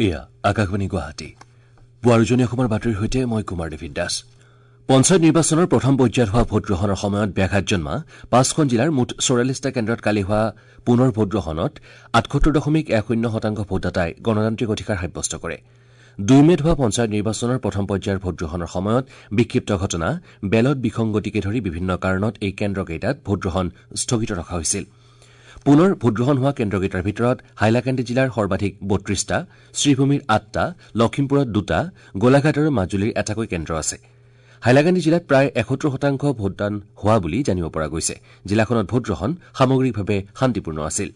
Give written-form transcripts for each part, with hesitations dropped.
এয়া আকাশবাণী গুৱাহাটী। পুৱাৰ উজনি অসমৰ বাতৰিৰ সৈতে মই কুমাৰ ডেভিড দাস। পঞ্চায়ত নিৰ্বাচনৰ প্ৰথম পৰ্যায়ত হোৱা ভোটগ্ৰহণৰ সময়ত ব্যাঘাত জন্মা 5খন জিলাৰ মুঠ 44টা কেন্দ্ৰত কালি হোৱা পুনৰ ভোটগ্ৰহণত 78.10% ভোটদাতাই গণতান্ত্ৰিক অধিকাৰ সাব্যস্ত কৰে। 2 মে'ত হোৱা পঞ্চায়ত নিৰ্বাচনৰ প্ৰথম পৰ্যায়ৰ ভোটগ্ৰহণৰ সময়ত বিক্ষিপ্ত ঘটনা, বেলট বিসংগতিকে ধৰি বিভিন্ন কাৰণত এই কেন্দ্ৰকেইটাত ভোটগ্ৰহণ স্থগিত ৰখা হৈছিল। পুনৰ ভোটগ্ৰহণ হোৱা কেন্দ্ৰকেইটাৰ ভিতৰত হাইলাকান্দি জিলাৰ সৰ্বাধিক 32টা, শ্ৰীভূমিৰ 8টা, লখিমপুৰত 2টা, গোলাঘাট আৰু মাজুলীৰ এটাকৈ কেন্দ্ৰ আছে। হাইলাকান্দি জিলাত প্ৰায় 71% ভোটদান হোৱা বুলি জানিব পৰা গৈছে। জিলাখনত ভোটগ্ৰহণ সামগ্ৰিকভাৱে শান্তিপূৰ্ণ আছিল।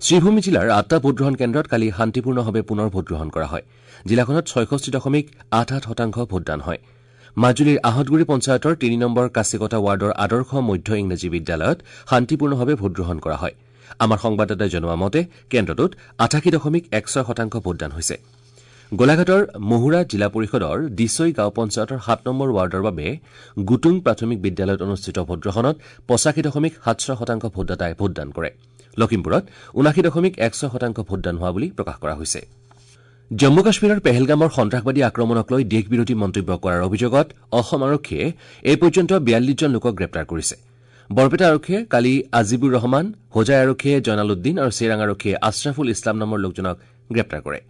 শ্ৰীভূমি জিলাৰ 8টা ভোটগ্ৰহণ কেন্দ্ৰত কালি শান্তিপূৰ্ণভাৱে পুনৰ ভোটগ্ৰহণ কৰা হয়। জিলাখনত 66.88% ভোটদান হয়। মাজুলীৰ আহঁতগুৰি পঞ্চায়তৰ 3 নম্বৰ কাচিকটা ৱাৰ্ডৰ আদৰ্শ মধ্য ইংৰাজী বিদ্যালয়ত শান্তিপূৰ্ণভাৱে ভোটগ্ৰহণ কৰা হয়। আমাৰ সংবাদদাতাই জনোৱা মতে কেন্দ্ৰটোত 88.16% ভোটদান হৈছে। গোলাঘাটৰ মহুৰা জিলা পৰিষদৰ দিচৈ গাঁও পঞ্চায়তৰ 7 নম্বৰ ৱাৰ্ডৰ বাবে গুটুং প্ৰাথমিক বিদ্যালয়ত অনুষ্ঠিত ভোটগ্ৰহণত 85.76% ভোটদাতাই ভোটদান কৰে। লখিমপুৰত 79.16% ভোটদান হোৱা বুলি প্ৰকাশ কৰা হৈছে। জম্মু কাশ্মীৰৰ পেহেলগামৰ সন্ত্ৰাসবাদী আক্ৰমণক লৈ দেশবিৰোধী মন্তব্য কৰাৰ অভিযোগত অসম আৰক্ষীয়ে এই পৰ্যন্ত 42জন লোকক গ্ৰেপ্তাৰ কৰিছে। বৰপেটা আৰক্ষীয়ে কালি আজিবুৰ ৰহমান, হোজাই আৰক্ষীয়ে জয়নাল উদ্দিন আৰু চিৰাং আৰক্ষীয়ে আশ্ৰাফুল ইছলাম নামৰ লোকজনক গ্ৰেপ্তাৰ কৰে।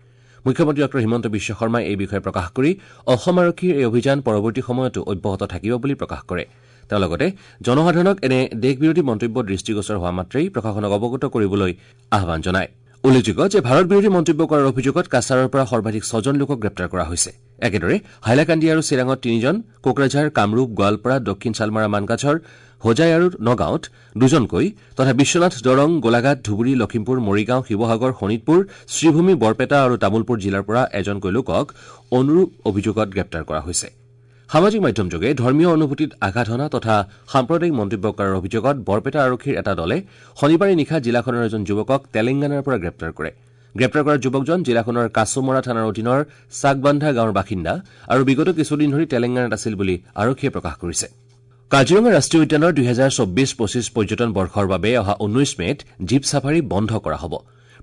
মুখ্যমন্ত্ৰী ডঃ হিমন্ত বিশ্ব শৰ্মাই এই বিষয়ে প্ৰকাশ কৰি অসম আৰক্ষীৰ এই অভিযান পৰৱৰ্তী সময়তো অব্যাহত থাকিব বুলি প্ৰকাশ কৰে। তেওঁ লগতে জনসাধাৰণক এনে দেশবিৰোধী মন্তব্য দৃষ্টিগোচৰ হোৱা মাত্ৰেই প্ৰশাসনক অৱগত কৰিবলৈ আহ্বান জনায়। উল্লেখযোগ্য যে ভাৰত বিৰোধী মন্তব্য কৰাৰ অভিযোগত কাছাৰৰ পৰা সৰ্বাধিক 6জন লোকক গ্ৰেপ্তাৰ কৰা হৈছে। একেদৰে হাইলাকান্দি আৰু চিৰাঙত 3জন, কোকৰাঝাৰ, কামৰূপ, গোৱালপাৰা, দক্ষিণ শালমাৰা, মানকাছৰ, হোজাই আৰু নগাঁৱত 2জনকৈ তথা বিশ্বনাথ, দৰং, গোলাঘাট, ধুবুৰী, লখিমপুৰ, মৰিগাঁও, শিৱসাগৰ, শোণিতপুৰ, শ্ৰীভূমি, বৰপেটা আৰু তামুলপুৰ জিলাৰ পৰা এজনকৈ লোকক অনুৰূপ অভিযোগত গ্ৰেপ্তাৰ কৰা হৈছে। সামাজিক মাধ্যমযোগে ধৰ্মীয় অনুভূতিত আঘাত হনা তথা সাম্প্ৰদায়িক মন্তব্য কৰাৰ অভিযোগত বৰপেটা আৰক্ষীৰ এটা দলে শনিবাৰে নিশা জিলাখনৰ এজন যুৱকক তেলেংগানাৰ পৰা গ্ৰেপ্তাৰ কৰে। গ্ৰেপ্তাৰ কৰা যুৱকজন জিলাখনৰ কাছুমৰা থানাৰ অধীনৰ চাকবান্ধা গাঁৱৰ বাসিন্দা আৰু বিগত কিছুদিন ধৰি তেলেংগানাত আছিল বুলি আৰক্ষীয়ে প্ৰকাশ কৰিছে। কাজিৰঙা ৰাষ্ট্ৰীয় উদ্যানৰ 2024-25 পৰ্যটন বৰ্ষৰ বাবে অহা 19 মে'ত জীপ ছাফাৰী বন্ধ কৰা হ'ব।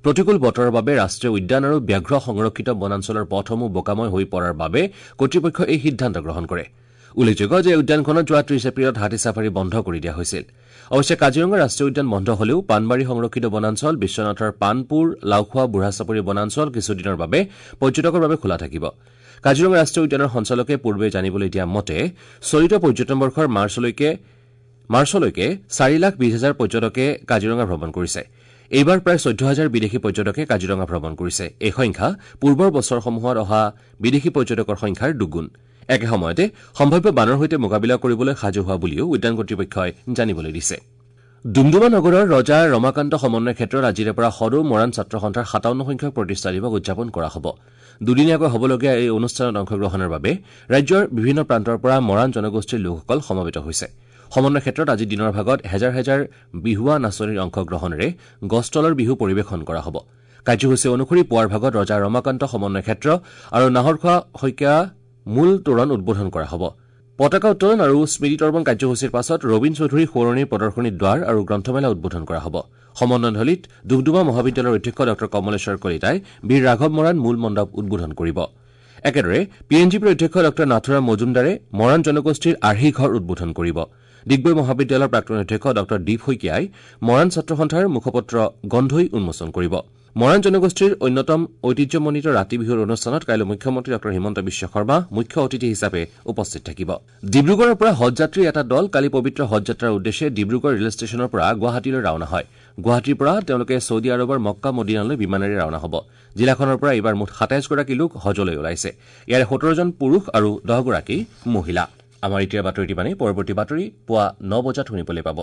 প্ৰতিকূল বতৰৰ বাবে ৰাষ্ট্ৰীয় উদ্যান আৰু ব্যাঘ্ৰ সংৰক্ষিত বনাঞ্চলৰ পথসমূহ বোকাময় হৈ পৰাৰ বাবে কৰ্তৃপক্ষই এই সিদ্ধান্ত গ্ৰহণ কৰে। উল্লেখযোগ্য যে উদ্যানখনত যোৱা 30 এপ্ৰিলত হাতী ছাফাৰী বন্ধ কৰি দিয়া হৈছিল। অৱশ্যে কাজিৰঙা ৰাষ্ট্ৰীয় উদ্যান বন্ধ হলেও পাণবাৰী সংৰক্ষিত বনাঞ্চল, বিশ্বনাথৰ পাণপুৰ, লাওখোৱা, বুঢ়াচাপৰি বনাঞ্চল কিছুদিনৰ বাবে পৰ্যটকৰ বাবে খোলা থাকিব। কাজিৰঙা ৰাষ্ট্ৰীয় উদ্যানৰ সঞ্চালকে পূৰ্বে জানিবলৈ দিয়া মতে চলিত পৰ্যটন বৰ্ষৰ মাৰ্চলৈকে 4,20,000 পৰ্যটকে কাজিৰঙা ভ্ৰমণ কৰিছে। এইবাৰ প্ৰায় 14,000 বিদেশী পৰ্যটকে কাজিৰঙা ভ্ৰমণ কৰিছে। এই সংখ্যা পূৰ্বৰ বছৰসমূহত অহা বিদেশী পৰ্যটকৰ সংখ্যাৰ দুগুণ। একে সময়তে সম্ভাৱ্য বানৰ সৈতে মোকাবিলা কৰিবলৈ সাজু হোৱা বুলিও উদ্যান কৰ্তৃপক্ষই জানিবলৈ দিছে। ডুমডুমা নগৰৰ ৰজা ৰমাকান্ত সমন্বয় ক্ষেত্ৰত আজিৰে পৰা সদৌ মৰাণ ছাত্ৰ সন্থাৰ 57 সংখ্যক প্ৰতিষ্ঠা দিৱস উদযাপন কৰা হ'ব। দুদিনীয়াকৈ হ'বলগীয়া এই অনুষ্ঠানত অংশগ্ৰহণৰ বাবে ৰাজ্যৰ বিভিন্ন প্ৰান্তৰ পৰা মৰাণ জনগোষ্ঠীৰ লোকসকল সমবেত হৈছে। সমন্বয় ক্ষেত্ৰত আজি দিনৰ ভাগত হেজাৰ হেজাৰ বিহুৱা নাচনীৰ অংশগ্ৰহণেৰে গছতলৰ বিহু পৰিৱেশন কৰা হ'ব। কাৰ্যসূচী অনুসৰি পুৱাৰ ভাগত ৰজা ৰমাকান্ত সমন্বয় ক্ষেত্ৰ আৰু নাহৰখোৱা শইকীয়া মূল তোৰণ উদ্বোধন কৰা হ'ব। পতাকা উত্তোলন আৰু স্মৃতি তৰ্পণ কাৰ্যসূচীৰ পাছত ৰবীন চৌধুৰী সোঁৱৰণী প্ৰদৰ্শনী দ্বাৰ আৰু গ্ৰন্থমেলা উদ্বোধন কৰা হ'ব। সমন্বয়থলীত ডুমডুমা মহাবিদ্যালয়ৰ অধ্যক্ষ ডঃ কমলেশ্বৰ কলিতাই বীৰ ৰাঘৱ মৰাণ মূল মণ্ডপ উদ্বোধন কৰিব। একেদৰে পি এন জি পিৰ অধ্যক্ষ ডঃ নাথুৰাম মজুমদাৰে মৰাণ জনগোষ্ঠীৰ আৰ্হি ঘৰ উদ্বোধন কৰিব। ডিগবৈ মহাবিদ্যালয়ৰ প্ৰাক্তন অধ্যক্ষ ডঃ দীপ শইকীয়াই মৰাণ ছাত্ৰ সন্থাৰ মুখপত্ৰ গন্ধৈ উন্মোচন কৰিব। মৰাণ জনগোষ্ঠীৰ অন্যতম ঐতিহ্যমণ্ডিত ৰাতি বিহুৰ অনুষ্ঠানত কাইলৈ মুখ্যমন্ত্ৰী ডঃ হিমন্ত বিশ্ব শৰ্মা মুখ্য অতিথি হিচাপে উপস্থিত থাকিব। ডিব্ৰুগড়ৰ পৰা হজযাত্ৰীৰ এটা দল কালি পবিত্ৰ হজযাত্ৰাৰ উদ্দেশ্যে ডিব্ৰুগড় ৰেল ষ্টেচনৰ পৰা গুৱাহাটীলৈ ৰাওনা হয়। গুৱাহাটীৰ পৰা তেওঁলোকে ছৌদি আৰৱৰ মক্কা মদিনালৈ বিমানেৰে ৰাওনা হ'ব। জিলাখনৰ পৰা এইবাৰ মুঠ 27গৰাকী লোক হজলৈ ওলাইছে। ইয়াৰে 17জন পুৰুষ আৰু 10গৰাকী মহিলা। আমাৰ এতিয়াৰ বাতৰিটি মানে পৰৱৰ্তী বাতৰি পুৱা 9 বজাত শুনিবলৈ পাব।